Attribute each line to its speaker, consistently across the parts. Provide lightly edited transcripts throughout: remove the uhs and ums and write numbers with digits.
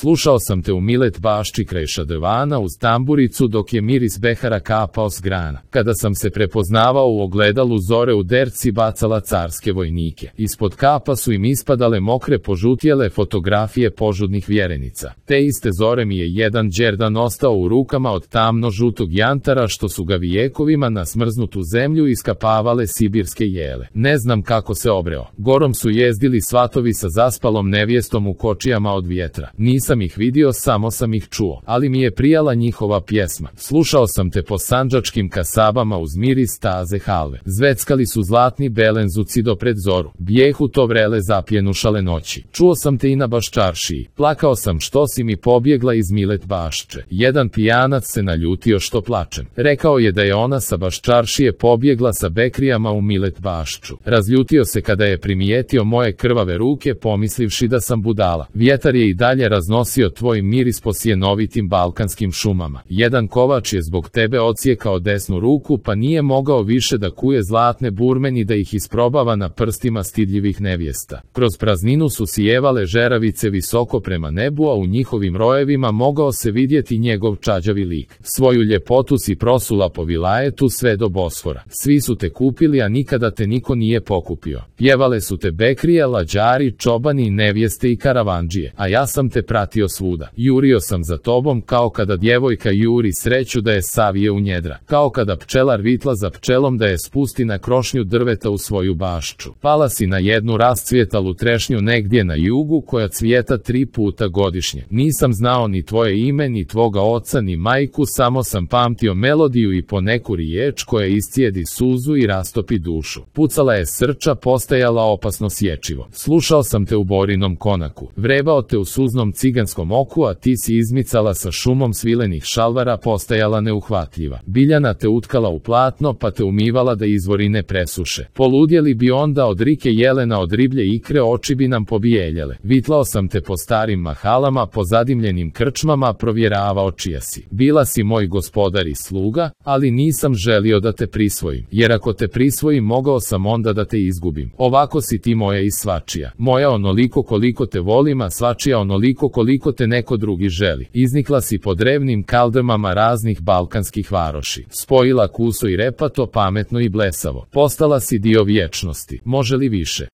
Speaker 1: Slušao sam te u Milet Bašči kraj šadrvana uz tamburicu dok je miris behara kapao s grana. Kada sam se prepoznavao u ogledalu zore u derci bacala carske vojnike. Ispod kapa su im ispadale mokre požutjele fotografije požudnih vjerenica. Te iste zore mi je jedan đerdan ostao u rukama od tamno žutog jantara što su ga vijekovima na smrznutu zemlju iskapavale sibirske jele. Ne znam kako se obreo. Gorom su jezdili svatovi sa zaspalom nevjestom u kočijama od vjetra. Nisam ih vidio, samo sam ih čuo, ali mi je prijala njihova pjesma. Slušao sam te po sandžačkim kasabama uz miris taze halve. Zveckali su zlatni belenzuci do pred zoru. Bijehu to vrele zapjenušale noći. Čuo sam te i na Baščaršiji. Plakao sam što si mi pobjegla iz Milet Bašče. Jedan pijanac se naljutio što plačem. Rekao je da je ona sa Baščaršije pobjegla sa bekrijama u Milet Bašču. Razljutio se kada je primijetio moje krvave ruke, pomislivši da sam budala. Vjetar je i dalje raznosio tvoj miris po sjenovitim balkanskim šumama. Jedan kovač je zbog tebe odsjekao desnu ruku, pa nije mogao više da kuje zlatne burmeni da ih isprobava na prstima stidljivih nevjesta. Kroz prazninu su sijevale žeravice visoko prema nebu, a u njihovim rojevima mogao se vidjeti njegov čađavi lik. Svoju ljepotu si prosula po vilajetu sve do Bosfora. Svi su te kupili, a nikada te niko nije pokupio. Pjevale su te bekrije, lađari, čobani, nevjeste i karavandžije, a ja sam te pratio svuda. Jurio sam za tobom kao kada djevojka juri sreću da je savije u njedra, kao kada pčelar vitla za pčelom da je spusti na krošnju drveta u svoju bašču. Pala si na jednu rascvjetalu trešnju negdje na jugu koja cvijeta 3 puta godišnje. Nisam znao ni tvoje ime, ni tvoga oca, ni majku, samo sam pamtio melodiju i poneku riječ koja iscijedi suzu i rastopi dušu. Pucala je srča, postajala opasno sječivo. Slušao sam te u Borinom konaku, vrebao te u suznom ciganskom oku, a ti si izmicala sa šumom svilenih šalvara, postajala neuhvatljiva. Biljana te utkala u platno, pa te umivala da izvori ne presuše. Poludjeli bi onda od rike jelena, od riblje ikre, oči bi nam pobijeljale. Vitlao sam te po starim mahalama, po zadimljenim krčmama, provjeravao čija si. Bila si moj gospodar i sluga, ali nisam želio da te prisvojim, jer ako te prisvojim mogao sam onda da te izgubim. Ovako si ti moja i svačija. Moja onoliko koliko te volim, a svačija onoliko koliko te neko drugi želi. Iznikla si po drevnim kaldrmama raznih balkanskih varoši. Spojila kuso i repato, pametno i blesavo. Postala si dio vječnosti. Može li više?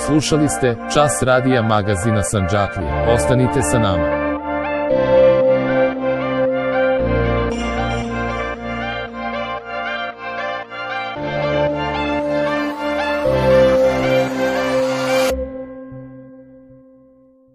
Speaker 1: Slušali ste Čas radija magazina Sandžaklija. Ostanite sa nama.